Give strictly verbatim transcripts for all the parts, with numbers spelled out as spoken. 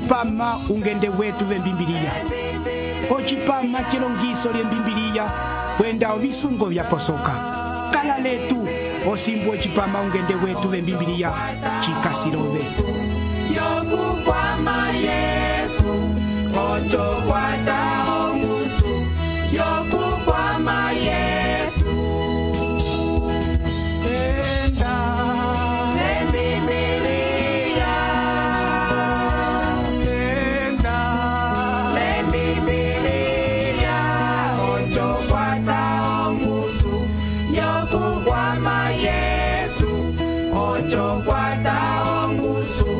ocipama ungende wetu vembimbiliya, ocipama chilongiso lyembimbiliya kwenda ovisungo vyaposoka. Kala letu osimbu ocipama ungende wetu vembimbiliya chikasilove. Yokukwama Yesu, ocho kwata ongusu. Yokukwama Yesu, Enda lembimbiliya, enda lembimbiliya, ocho kwata ongusu. Yokukwama Yesu, ocho kwata ongusu.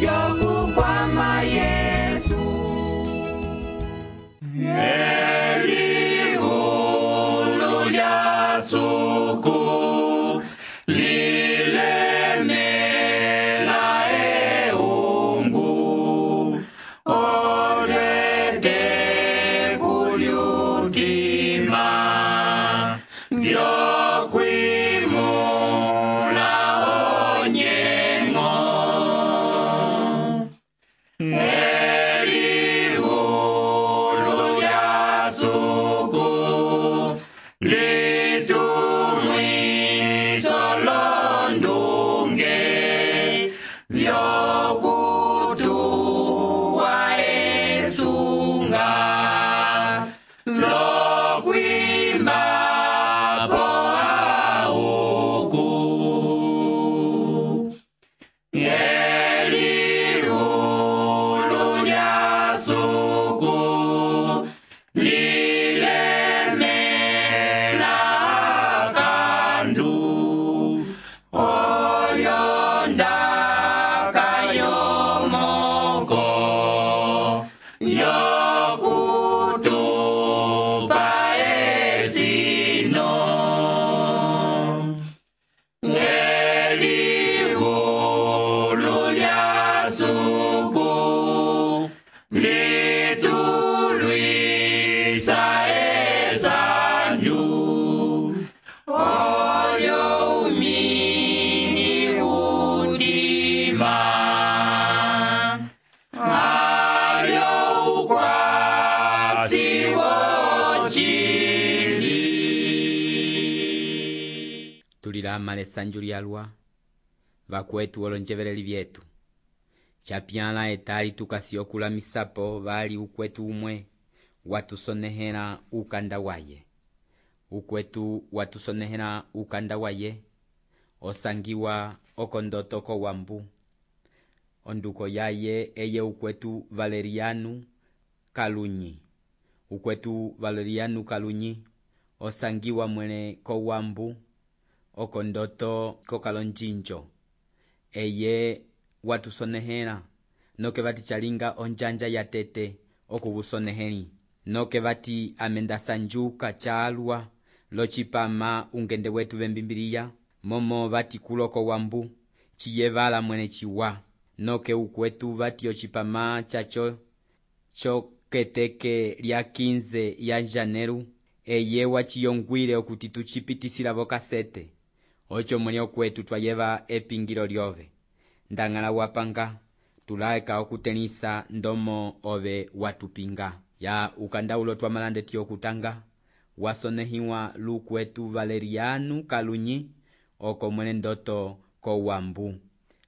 Yokukwama Yesu. Elihulu lya suku lilemela eungu, olete kulyutima vyokwimula onyengo. Elihulu lya suku litumwiso londunge vyokutuwa esunga lokwimbapo auku. Elihulu lya suku lilemela kandu, olyondaka yomoko yokutupa esino. Elihulu lya suku litulwisa esanju, olyo umini utima, alyo ukwasi wochili. Tulilama lesanju lyalwa vakwetu olonjeveleli vyetu chapyala etali tukasiyokulamisapo vali ukwetu umwe watusonehela ukanda waye. Ukwetu watusonehela ukanda waye osangiwa okondoto kowambu. Onduko yaye eye ukwetu Valeriano Kalunyi. Ukwetu Valeriano Kalunyi osangiwa mwene kowambu okondoto kokalonjinjo. Eye watusonehela noke vati chalinga onjanja ya tete okubusoneheli. Noke vati amenda sanjuka chalwa lochipama ungende wetu vembimbiliya, momo vati kuloko wambu chiyevala mwene chiwa. Noke ukwetu vati ochipama chacho choketeke lya quinze ya janeru, eye wachiyongwile okuti tuchipitisila vokasete. Ocho mwene okwetu twayeva epingilo lyove. Ndangala wapanga tulaeka okutenisa ndomo ove watupinga. Ya ukanda ulo twamalande tiyo kutanga wasonehiwa lukwetu Valeriano Kalunyi oko mwene ndoto kowambu.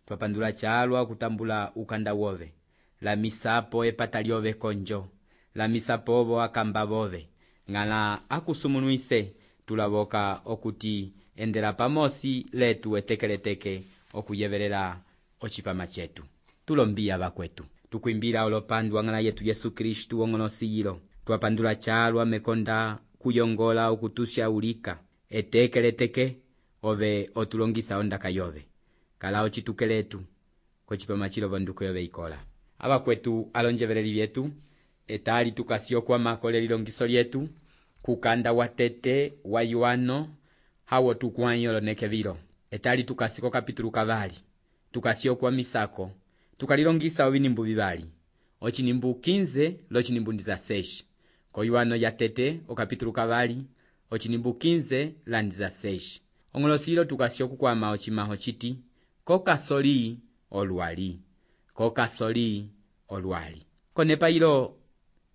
Twapandula chalwa kutambula ukanda wove. La misapo epata lyove konjo. La misapo ovo akamba vove. Ngala akusumunuise tulavoka okuti endela pamosi letu etekeleteke okuyevelela ochipama chetu. Tulombia vakwetu. Tukuimbila olopandwa ngala yetu Yesu Kristu ongonosiyilo. Twapandula chalwa mekonda kuyongola okutusha ulika. Etekeleteke ove otulongisa ondaka yove. Kala ochitukeletu kochipama chilo vonduko yove ikola. Abakwetu alonjeveleli vyetu etali tukasio kwa makole lilongiso lyetu kukanda watete wa Yohano hawo tukwanyolo nekevilo. Etali tukasiko kapitulu kavali tukasio kwa misako tukalilongisa ovinimbu vivali. Ochinimbu quinze lochinimbu ndiza seis. Ko Yohano ya tete o kapitulu kavali ochinimbu quinze la ndiza seis. Ongolosilo tukasio kukwama ochimaho chiti kokasoli olwali. Kokasoli olwali. Konepa ilo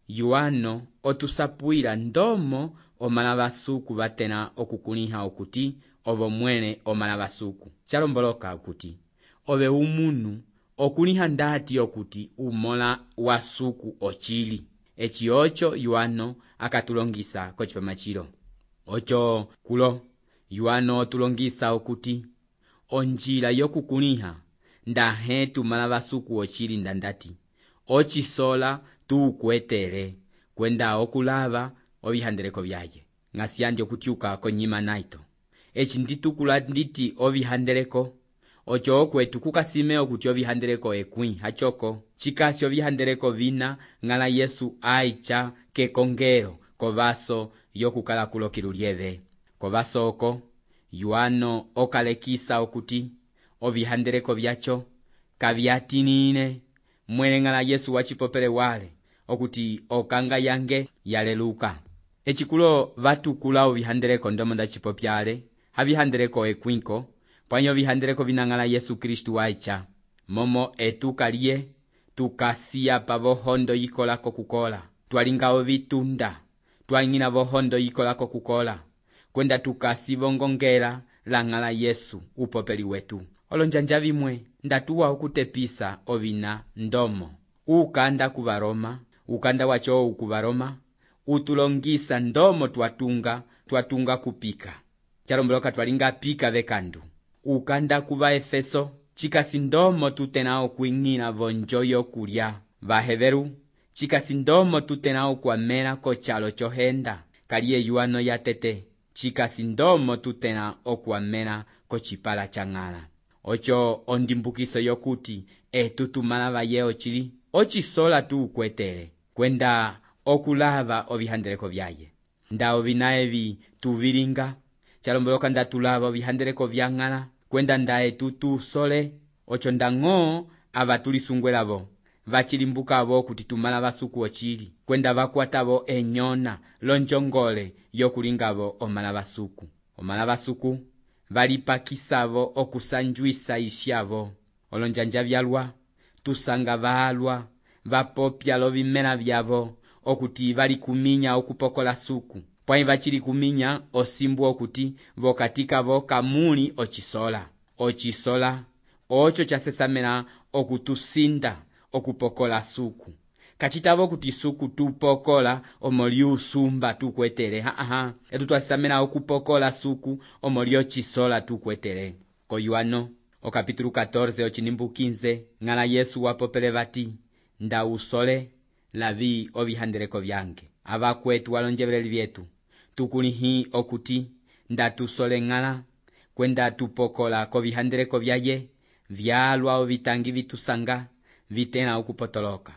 Yohano otusapwila ndomo omala basuku batena okukuliha okuti ovo mwene omala basuku. Chalomboloka okuti ove umunu okuliha ndati okuti umola wasuku ochili. Echi ocho Yohano akatulongisa kochipamachilo. Ocho kulo Yohano otulongisa okuti onjila yokukuliha ndahe tumala basuku ochili ndandati ochisola tuukwetere kwenda okulava ovihandeleko vyaye. Ngasiandi okutiuka konyima naito. Echi nditukula nditi ovihandeleko ocho okwetu kukasime okuti ovihandeleko ekwi hachoko. Chikasi ovihandeleko vina ngala Yesu aicha kekongero kovaso yokukala kulo kilulieve. Kovaso oko Yohano okalekisa okuti ovihandeleko vyacho kavyatinine mwene ngala Yesu wachipopele wale okuti okanga yange yaleluka. Echikulo vatukula ovihandeleko ndomo ndachipopyale havihandeleko ekwinko panyo vihandeleko vinangala Yesu Kristu waicha momo etukalie tukasiya pa vohondo yikolako kukola twalinga ovitunda twangina vohondo yikolako kukola kwenda tukasivongongela langala Yesu upopeli wetu. Olonjanja vimwe ndatuwa okutepisa ovina ndomo ukanda kuvaroma ukanda wacho ukuvaroma utulongisa ndomo twatunga twatunga kupika. Chalomboloka twalinga pika vekandu ukanda kuva Efeso chikasi ndomo tutenao kuingina vonjoyo kulya vaheveru chikasi ndomo tutenao kwamela kochalo chohenda kaliye Yohano yatete chikasi ndomo tutena okwamela kochipala changala. Ocho ondimbukiso yokuti etutumala vaye ochili ochisola tuukwetere kwenda okulava ovihandeleko vyaye. Nda ovinaevi tuvilinga chalomboloka ndatulava ovihandeleko vyangala kwenda ndae tutu sole. Ocho ndang'o avatulisungwelavo vachilimbukavo kuti tumala basuku ochili kwenda vakwatavo enyona lonjongole yokulingavo omala basuku. Omala basuku valipakisavo okusanjwisa isyavo. Olonjanja vyalwa tusanga valwa vapopya lovimela vyavo okuti vali kuminya okupokola suku pwai vachili kuminya osimbu okuti vokatikavo kamuli ochisola. Ochisola ocho chasesamela okutusinda okupokola suku kachitavo kuti suku tupokola omoli usumba tukwetere haa etu twasamela okupokola suku omoli ochisola tukwetere. Ko Yohano okapitulu catorce ochinimbu quinze ngala Yesu wapopele vati nda usole lavi ovihandeleko vyange. Avakwetu walonjebeleli vyetu tukulihi okuti nda tusole ngala kwenda tupokola ko vihandeleko vyaye vyalwa ovitangi vitusanga vitena okupotoloka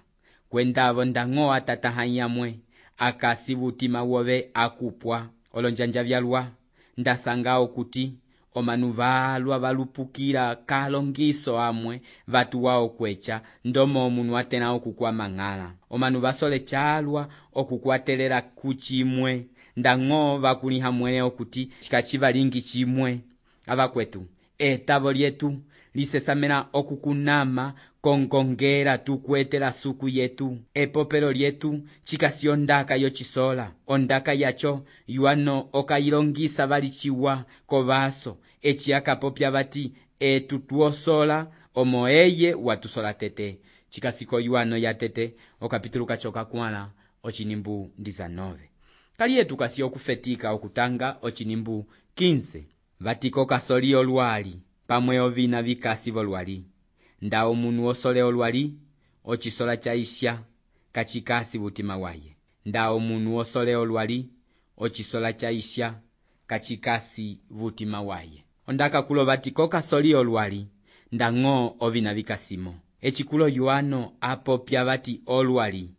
kwenda avo ndang'o atatahanyamwe akasivutima wove akupwa. Olonjanja vyalwa ndasanga okuti omanu valwa valupukila kalongiso amwe vatuwa okwecha ndomo omunu atena okukwama ngala. Omanu vasole chalwa okukwatelela kuchimwe ndang'o vakuliha mwene okuti chikachivalingi chimwe. Avakwetu etavo lyetu lisesamela okukunama kongongela tukwetela suku yetu. Epopelo lyetu chikasi ondaka yochisola. Ondaka yacho Yohano okayilongisa valichiwa kovaso echi akapopya vati etu tuosola omo eye watusola tete. Chikasi ko Yohano yatete okapitulu kachoka kwala ochinimbu dizanove. Kaliye tukasi okufetika okutanga ochinimbu quinze. Vatiko kasoli olwali pamwe ovina vikasi volwali. Nda omunu osole olwali ochisola chaisha kachikasi vutima waye. Nda omunu osole olwali ochisola chaisha kachikasi vutima waye. Ondaka kulo vatiko kasoli olwali ndang'o ovina vikasimo. Echikulo Yohano apopya vati olwali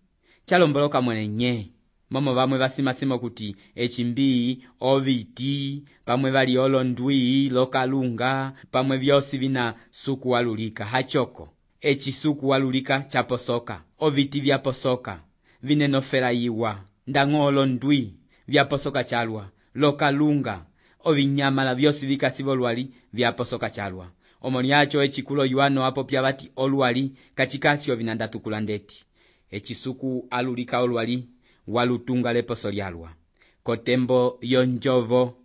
chalomboloka mwene nye momo vamwe vasimasimo kuti echimbii oviti pamwe vali olondwi lokalunga pamwe vyosi vina suku walulika hachoko. Echi suku walulika chaposoka oviti vyaposoka vinenofela yiwa ndang'o olondwi vyaposoka chalwa lokalunga ovinyamala vyosi vikasivo lwali vyaposoka chalwa. omoni yacho echikulo yuano apopya bati olwali kachikasi ovina ndatukula ndeti echisuku alulika olwali walutunga leposo lyalwa kotembo yonjovo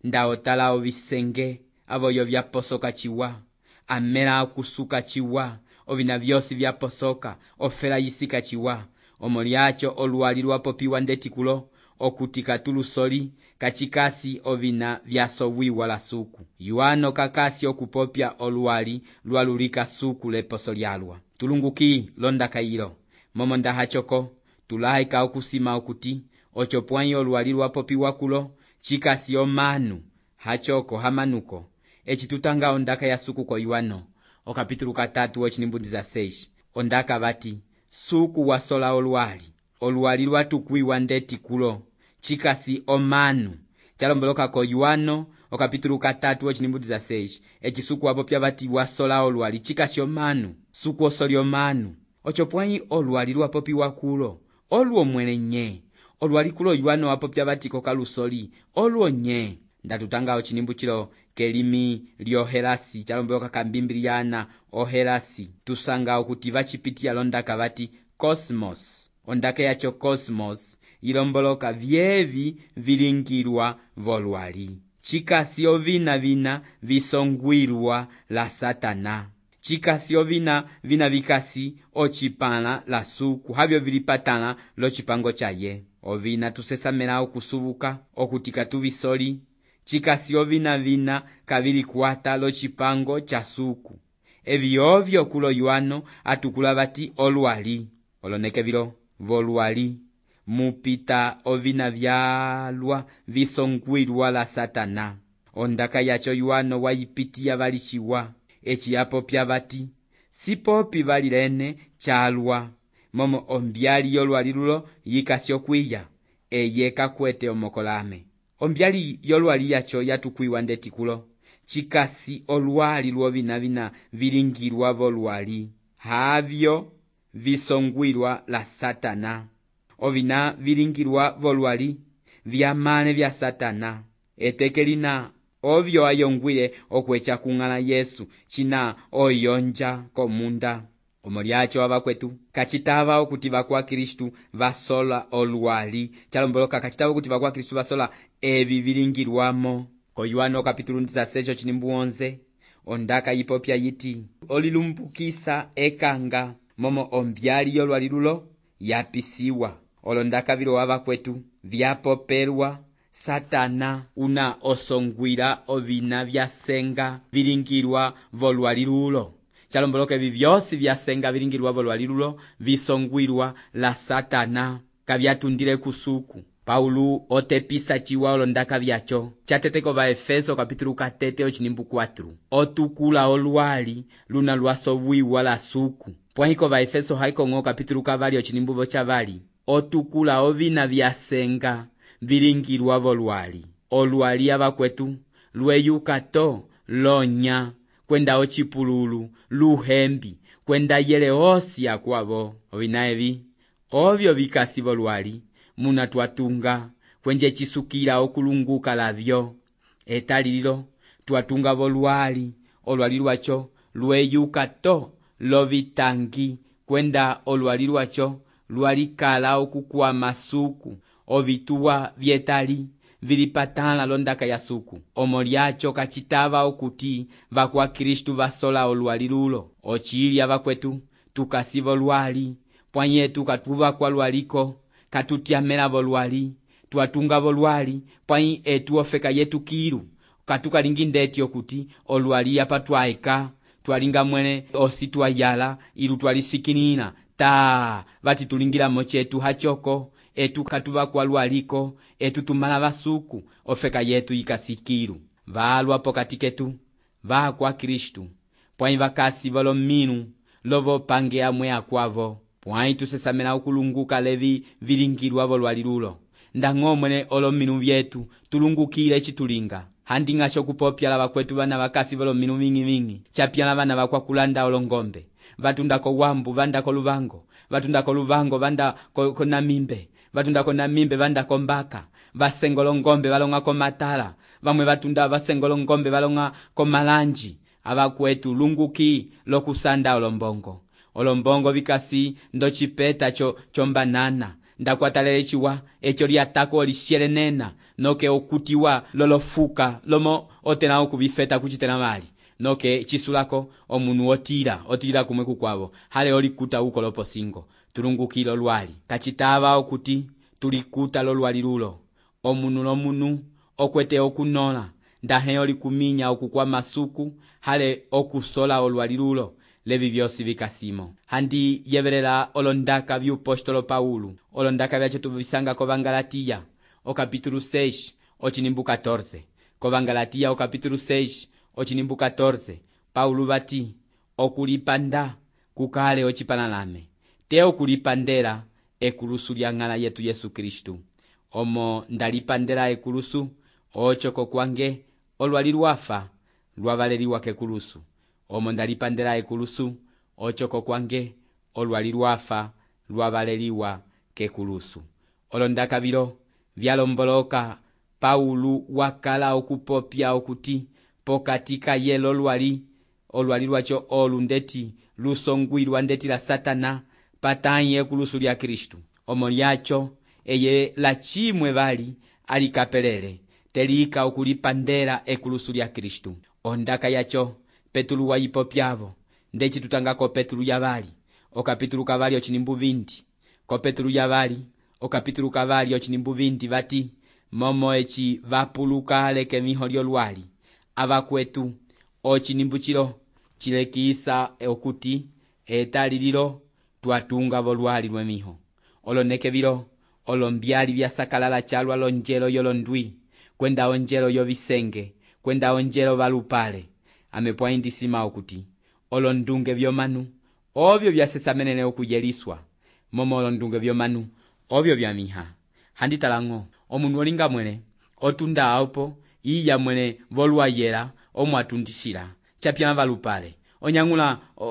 ndaotala ovisenge avoyo vyaposoka chiwa amela akusuka chiwa ovina vyosi vyaposoka ofela yisika chiwa omoni yacho olwali lwapopiwa ndetikulo okutika tulusoli kachikasi ovina vyasowiwa la suku yuano kakasi okupopya olwali lwalulika suku leposo lyalwa tulunguki londa kailo momo ndahachoko tulaika okusima okuti ocho pwanyi olwali lwapopiwa kulo chikasi omanu hachoko hamanuko echitutanga ondaka ya suku ko yuano okapitulu katatu ochinimbudiza seis ondaka bati suku wasola olwali olwali lwatukwiwa ndeti kulo chikasi omanu chalomboloka ko yuano okapitulu katatu ochinimbudiza seis echisuku apopya bati wasola olwali chikasi omanu suku osoli omanu ocho pwanyi olwali lwapopiwa kulo olwo mwene nye olwali kulo yuano apopya bati kokalusoli olwo nye ndatutanga ochinimbu chilo kelimi lyohelasi chalomboloka kambimbiliana ohelasi tusanga okuti vachipitiya londaka bati cosmos ondaka yacho cosmos ilomboloka vyevi vilingirwa volwali chikasi ovina vina visongwirwa la satana chikasi ovina vina vikasi ochipala la suku havyo vilipatala lochipango chaye ovina tusesamela okusubuka okutika tuvisoli chikasi ovina vina kavilikwata lochipango cha suku evi ovyo kulo yuano atukula bati olwali oloneke vilo volwali mupita ovina vyalwa visongwirwa la satana ondaka yacho yuano wayipitiya valichiwa echi apopya bati sipopi valilene chalwa momo ombyali yolwali lulo yikasi okwiya eye kakwete omokolame ombyali yolwali yacho yatukwiwa ndetikulo chikasi olwali lwovina vina vilingirwa volwali havyo visongwirwa la satana ovina vilingirwa volwali vyamane vya satana etekelina ovyo ayongwile okwecha kung'ala Yesu china oyonja komunda omolyacho abakwetu kachitava okuti bakwa Kristu vasola olwali chalomboloka kachitava okuti bakwa Kristu vasola evi vilingirwamo ko Yohana kapitulu dezasseis chinimbu onze ondaka yipopya yiti olilumbukisa ekanga momo ombyali yolwali lulo yapisiwa olondaka vilo abakwetu vyapopelwa satana una osongwira ovina vyasenga vilingirwa volwali lulo chalomboloka evi vyosi vyasenga vilingirwa volwali lulo visongwirwa la satana kavyatundile kusuku Paulo otepisa chiwa olondaka vyacho chateteko va Efeso kapitulu katete ochinimbu kwatru otukula olwali luna lwasowiwa la suku pwahiko va Efeso haiko ng'o kapitulu kavali ochinimbu vochavali otukula ovina vyasenga vilingirwa volwali olwali abakwetu lweyuka to lonya kwenda ochipululu luhembi kwenda yele osi akwavo ovina evi ovyo vikasi volwali muna twatunga kwenje chisukira okulunguka lavyo etalilo twatunga volwali olwali lwacho lweyuka to lovitangi kwenda olwali lwacho lwalikala okukwa masuku ovituwa vyetali vilipatala londaka ya suku omolyacho kachitava okuti vakwa Kristu vasola olwali lulo ochili abakwetu tukasiva olwali pwanyetu katuva kwa lwaliko katutyamela volwali twatunga volwali pwanyi etu ofeka yetu kilu katukalingi ndeti okuti olwali apa twaika twalinga mwene osi twayala ilu twalisikinina ta vati tulingira mochetu hachoko etu katuva kwa lwaliko etu tumala basuku ofeka yetu ikasikiru valwa pokatiketu va kwa Kristu pwanyi vakasi volo minu lovo pange amwe akwavo pwanyi tusesamela okulunguka levi vilingirwa volwali lulo ndang'o mwene olo minu vyetu tulungukile chitulinga handi ng'asho kupopya la bakwetu bana bakasi volo minu vingi vingi chapya bana bakwa kulanda olongombe vatunda ko wambu vanda ko luvango vatunda ko luvango vanda ko, ko namimbe vatunda ko namimbe vanda ko mbaka vasengolo ngombe valonga ko matala vamwe vatunda vasengolo ngombe valonga ko malanji abakwetu lunguki lokusanda olombongo olombongo vikasi ndocipeta cho chombanana ndakwatalele chiwa echo liatako lishelenena noke okutiwa lolofuka lomo otena okubifeta kuchitena mali noke chisulako omunu otira otira kumwe kukwabo hale olikuta uko loposingo tulungukilo lwali kachitava okuti tulikuta lolwali lulo omunu lomunu okwete okunola ndahe olikuminya okukwa masuku hale okusola olwali lulo levi vyosi vikasimo handi yeverera olondaka byupostolo Paulo olondaka byacho tuvisanga ko Bangalatiya o capítulo seis ochinimbu catorze ko Bangalatiya o capítulo seis ochinimbu catorze Paulo bati okulipanda kukale ochipanalame te okulipandera ekulusu lyang'ala yetu Yesu Kristu omo ndalipandera ekulusu ochoko kwange olwali lwafa lwavaleliwa kekulusu omo ndalipandera ekulusu ochoko kwange olwali lwafa lwavaleliwa kekulusu olondaka biro vyalomboloka Paulo wakala okupopya okuti pokatika yelo lwali olwali lwacho olundeti lusongwirwa ndeti la Satana pataye ekulusu lya Kristu omo lyacho eye la chimwe bali alikapelele telika okulipandera ekulusu lya Kristu ondaka yacho Petulu wa ipopyavo ndechi tutangako Petulu yabali o kapitulu kavali ochinimbu vinti ko Petulu yabali o kapitulu kavali ochinimbu vinti vati momo echi vapuluka leke miho lyolwali abakwetu ochinimbu chilo chilekisa okuti etalililo twatunga volwali lwemiho oloneke biro olombyali byasakalala chalwa lonjelo yolondwi kwenda onjelo yovisenge kwenda onjelo valupale amepwaindisima okuti olondunge vyomanu obyo byasesamenene okuyeliswa momo olondunge vyomanu obyo byamiha handitalango omunu olinga mwene otunda apo iya mwene volwayela omwatundisira chapya valupale onyangula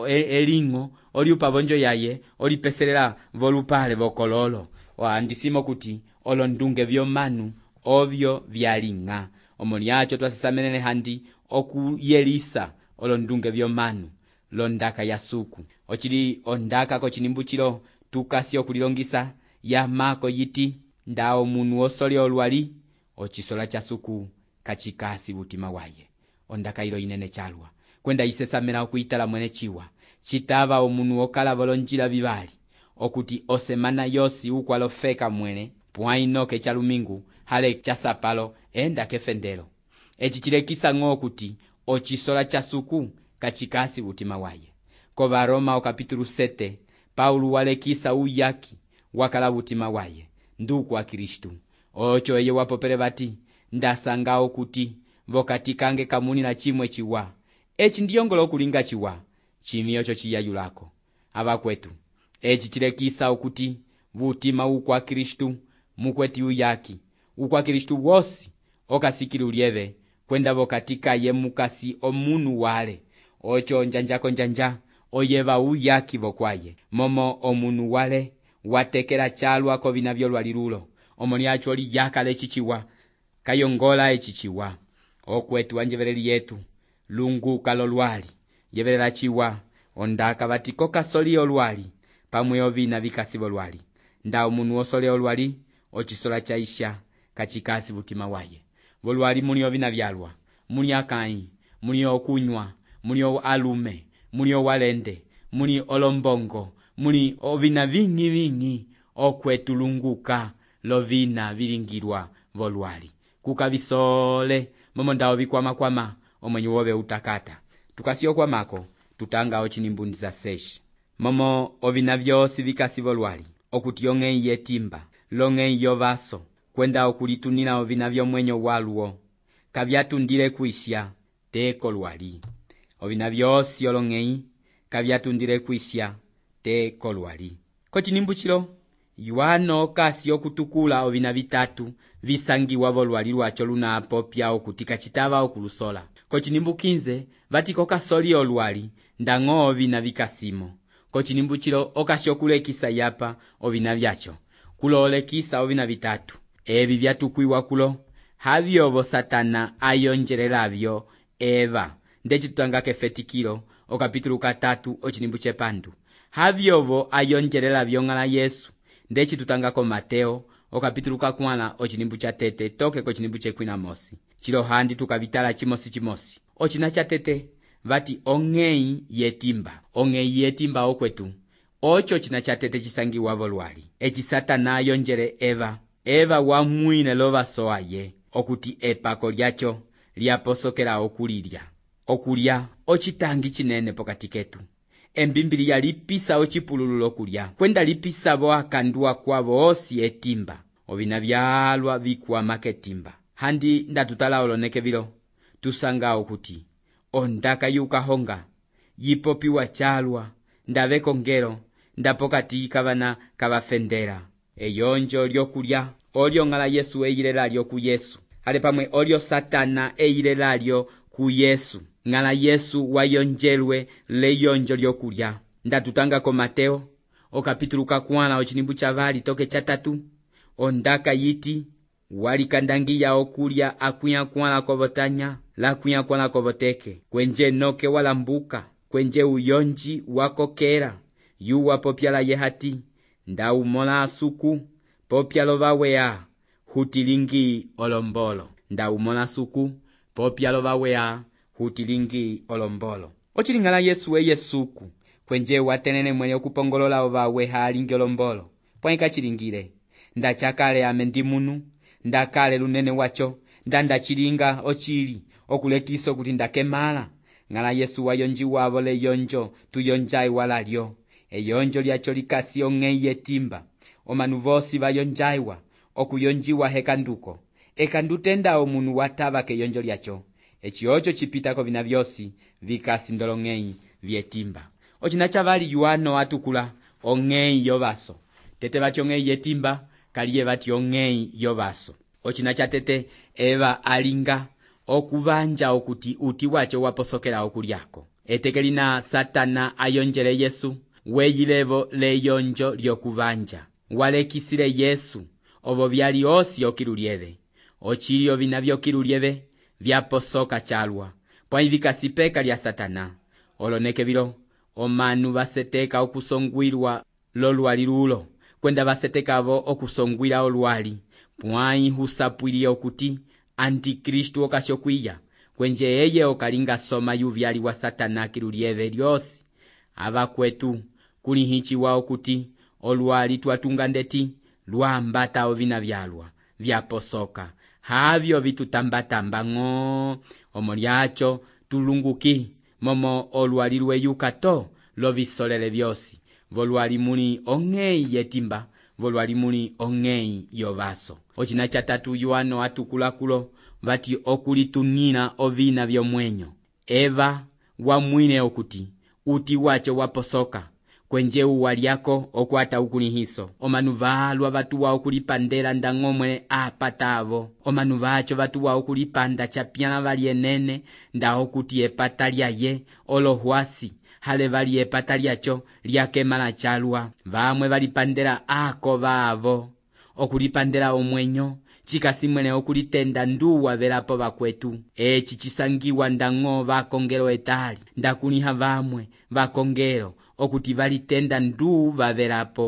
e, elingo oliupa bonjo yaye olipeselela volupale vokololo waandisimo kuti olondunge vyomanu obyo vyalinga omoniacho twasesamenene handi okuyelisa olondunge vyomanu londaka yasuku ochili ondaka ko chinimbu chilo tukasi okulilongisa ya mako yiti ndao munu osole olwali ochisola chasuku kachikasi butima waye ondaka ilo inene chalwa kwenda isesamena okuitala mwene chiwa chitava omunu okala volonjila vivali okuti osemana yosi ukwalofeka mwene puainoke chalumingu hale chasapalo enda kefendelo echi chilekisa ng'o okuti ochisola chasuku kachikasi butima waye ko Baroma o capítulo sete Paulo walekisa uyaki wakala butima waye nduku wa Kristu ocho eye wapopele bati ndasanga okuti vokatikange kamuni na chimwe chiwa echi ndiyongolo kulinga chiwa chimiyo cho chiyayulako abakwetu echi chilekisa okuti butima ukwa Kristu mukweti uyaki ukwa Kristu wosi okasikili ulieve kwenda vokatika ye mukasi omunu wale ocho njanjako njanja oyeva uyaki vokwaye momo omunu wale watekela chalwa ko vinavyo lwalilulo omoni acho oli yaka lechichiwa kayongola echichiwa okwetu wanjevereli yetu lunguka lolwali yeverela chiwa ondaka batiko kasoli olwali pamwe ovina vikasi volwali nda omunu osole olwali ochisola chaisha kachikasi butima waye volwali muni ovina vyalwa muni akai muni okunywa muni alume muni walende muni olombongo muni ovina vingi vingi okwetulunguka lovina vilingirwa volwali kukabisole momo ndao bikwama kwama omwenye wobe utakata tukasio kwa mako tutanga ochinimbundi za seshi momo ovina vyosi vikasi volwali okutiyonge yetimba longe yovaso kwenda okulitunina ovina vyo mwenyo waluo kavyatundile kuisya teko lwali ovina vyosi olongei kavyatundile kuisya teko lwali kochinimbu chilo yuano kasi okutukula ovina vitatu visangiwa volwali lwacho luna apopya okutika chitava okulusola kochinimbu kinze vatiko kasoli olwali ndang'o ovina vikasimo kochinimbu chilo okasyokulekisa yapa ovina vyacho kulolekisa ovina vitatu evi vyatukwiwa kulo havyovo Satana ayonjelelavyo Eva ndeci tutanga kefetikilo okapitulu katatu ochinimbu chepandu havyovo ayonjelela vyong'ala Yesu ndeci tutangako Mateo okapitulu kakwala ochinimbu cha tete toke ko chinimbu chekwina mosi chilo handi tukavitala chimosi chimosi ochina cha tete vati ong'ei yetimba ong'ei yetimba okwetu ocho china cha tete chisangiwa volwali eci Satana ayonjele Eva Eva wamwine lovasoa ye okuti epako lyacho lyaposokela okulilya okulya ochitangi chinene pokati ketu embimbiliya lipisa ochipululu lokulya kwenda lipisa vo akandua kwavo osi etimba ovina vyalwa vikwama ketimba handi ndatutala oloneke vilo tusanga okuti ondaka yukahonga yipopiwa chalwa ndaveko ngero ndapokati kavana kavafendera eyonjo lyokulya olyo ng'ala Yesu eilelalyo ku Yesu ale pamwe olyo Satana eilelalyo ku Yesu ng'ala Yesu wayonjelwe leyonjo lyokulya ndatutangako Mateo okapitulu kakwala ochinimbu cha vali toke cha tatu ondaka yiti walikandangiya okulya akwiya kwala kovotanya lakwiya kwala kovoteke kwenje noke walambuka kwenje uyonji wakokera yuwa popyala yehati ndaumola asuku popyalo vawea hutilingi olombolo ndaumola suku popyalo vawea hutilingi olombolo ochilingala Yesu eye suku kwenje watenene mwele okupongolola ovawe halingi olombolo pwaika chilingile ndachakale amendi munu ndakale lunene wacho ndandachilinga ochili okulekiso kuti ndakemala ng'ala Yesu wayonjiwa vole yonjo tuyonjai walalyo eyonjo lyacho likasi ong'ei yetimba omanu vosi vayonjaiwa okuyonjiwa hekanduko ekandutenda omunu watava keyonjo lyacho eci ocho chipitako vina vyosi vikasi ndolong'ei vyetimba ochina chavali yuano atukula ong'ei yovaso tete vati ong'ei yetimba kaliye vati ong'ei yovaso ochina cha tete Eva alinga okuvanja okuti uti wacho waposokela okulyako etekelina Satana ayonjele Yesu weyilevo leyonjo lyokuvanja walekisile Yesu ovo vyali osi okilulyeve ochilio vina vyokilulyeve vyaposoka chalwa pwaivikasipeka lya Satana oloneke vilo omanu vaseteka okusongwilwa lolwali lulo kwenda vasetekavo okusongwila olwali pwai husapwili okuti Antikristu okashokwiya kwenje eye okalinga soma yuvyali wa Satana kilulyeve lyosi ava kwetu kuli hichi wao kuti olwali twatunga ndeti lwambata ovina vyalwa vyaposoka havyo vitutambatamba ng'o omo lyacho tulunguki momo olwali lweyuka to lovisolele vyosi volwali muli ong'ei yetimba volwali muli ong'ei yovaso ochina cha tatu yuano atukulakulo vati okulitung'ina ovina vyomwenyo Eva wamwine okuti uti wacho waposoka kwenje uwalyako okwata ukulihiso omanu valwa vatuwa okulipandela ndang'omwe apatavo omanu vacho vatuwa okulipanda chapyala valyenene nda okuti epata lyaye olohwasi hale vali epata lyacho lyakemala chalwa vamwe valipandela ako vavo okulipandela omwenyo chikasimwene okulitenda nduwa velapo vakwetu eci chisangiwa ndang'o vakongelo etali ndakuliha vamwe vakongelo okuti valitenda ndu vavelapo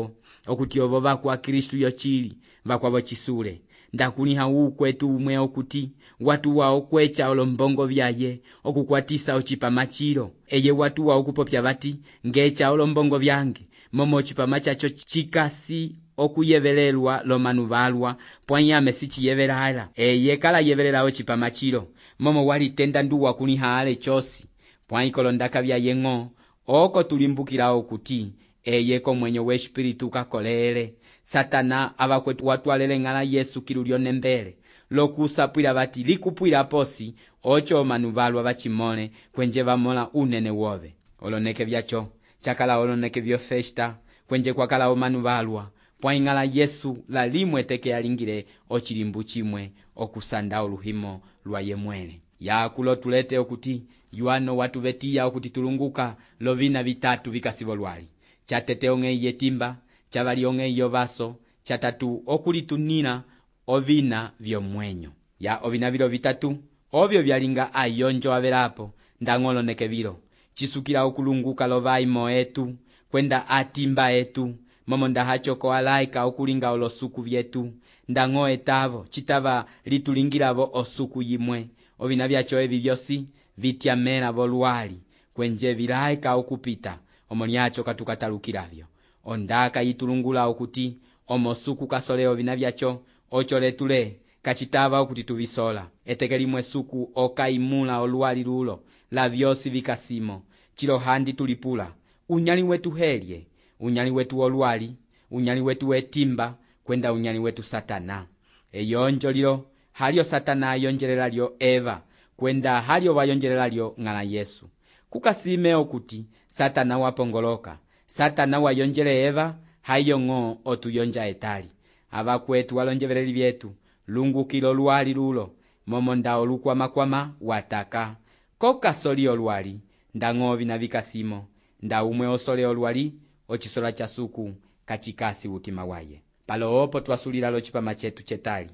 okuti ovo vakwa Kristu yochili vakwavo chisule ndakuliha ukwetu umwe okuti watuwa okwecha olombongo vyaye okukwatisa ochipama chilo eye watuwa okupopya vati ngecha olombongo vyange momo ochipama chacho chikasi okuyevelelwa lomanu valwa pwanyame sichiyevelala eye kala yevelela ochipama chilo momo walitenda nduwa kuliha ale chosi pwanyikolondaka vyaye ng'o oko tulimbukila okuti eye komwenyo we espiritu kakolele Satana avakwetu watwalele ng'ala Yesu kilulyo nembele lokusapwila vati likupwila posi ocho omanu valwa vachimole kwenje vamola unene wove oloneke vyacho chakala oloneke vyo festa kwenje kwakala omanu valwa pwaing'ala Yesu lalimwe teke yalingile ochilimbu chimwe okusanda oluhimo lwa yemwele yakulo tulete okuti yuano watu vetiya okuti tulunguka lovina vitatu vikasivo lwali chatete ong'ei yetimba chavali ong'ei yovaso chatatu okulitunina ovina vyomwenyo ya ovina vilo vitatu ovyo vyalinga ayonjo avelapo ndang'oloneke vilo cisukila okulunguka lovaimo etu kwenda atimba etu momo ndahachoko alaika okulinga olosuku vyetu ndang'o etavo citava litulingilavo osuku yimwe ovina vyacho evi vyosi vityamela volwali kwenje vilaika okupita omoniacho katukatalukilavyo ondaka yitulungula okuti omosuku kasole ovina vyacho ocho letule kacitava okuti tuvisola eteke limwe suku okaimula olwali lulo la vyosi vikasimo chilo handi tulipula unyali wetu helye unyali wetu olwali unyali wetu wetimba kwenda unyali wetu Satana eyonjo lilo halio Satana yonjelela lyo Eva kwenda halio wayonjelela lyo ng'ala Yesu kukasime okuti Satana wapongoloka Satana wayonjele Eva hayongo otuyonja etali abakwetu walonjeveleli vyetu lungukilo lwali lulo momo nda olukwamakwama wataka kokasoli olwali ndang'ovi na vikasimo nda umwe osole olwali ochisola cha suku kachikasi utima waye palo opo twasulila lo chipama chetu chetali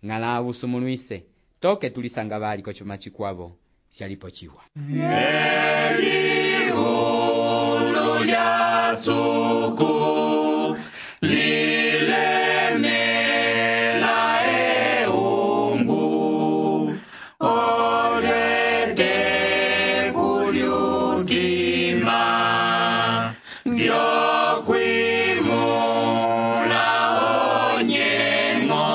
ng'ala avusumulwise toke tulisanga vali kocho machikwavo shalipo chiwa Elihu lya suku lilemela eungu olete kulyutima vyokwimula onyengo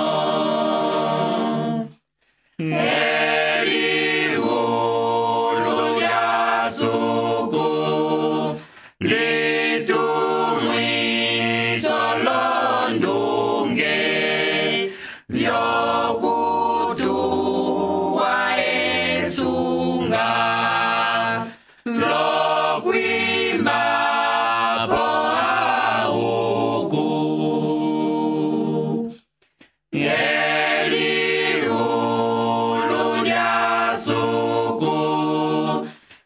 Elihu lya suku litumwiso londunge vyokutuwa esunga lokwima po auku Elihu lya suku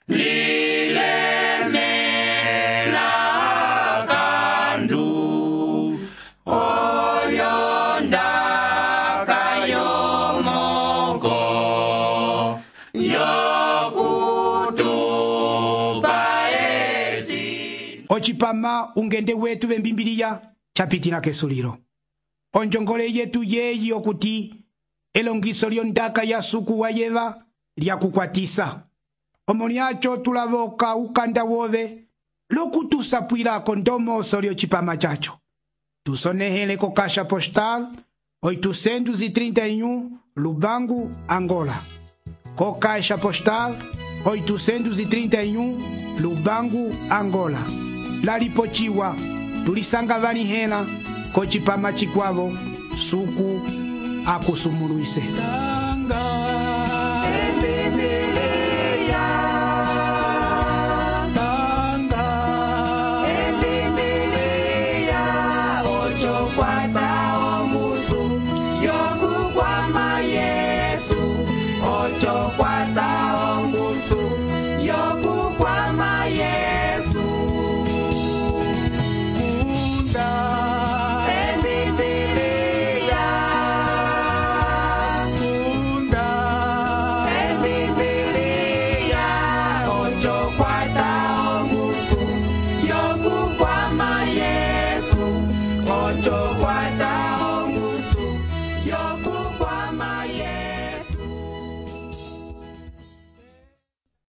lilemela kandu oyonda kayomoko yokutupa esi ocipama ungende wetu vembimbiliya chapitila kesulilo onjongole yetu yeyi okuti elongiso lyondaka ya suku wa Yeva lyakukwatisa omoniacho tulavoka ukanda wove lokutusapwilako ndomoso lyocipama chacho tusonehele ko caixa postal oitocentos e trinta e um Lubango, Angola ko caixa postal oitocentos e trinta e um Lubango, Angola lalipochiwa tulisanga vanihela ko chipama chikwavo suku akusumulwise Yo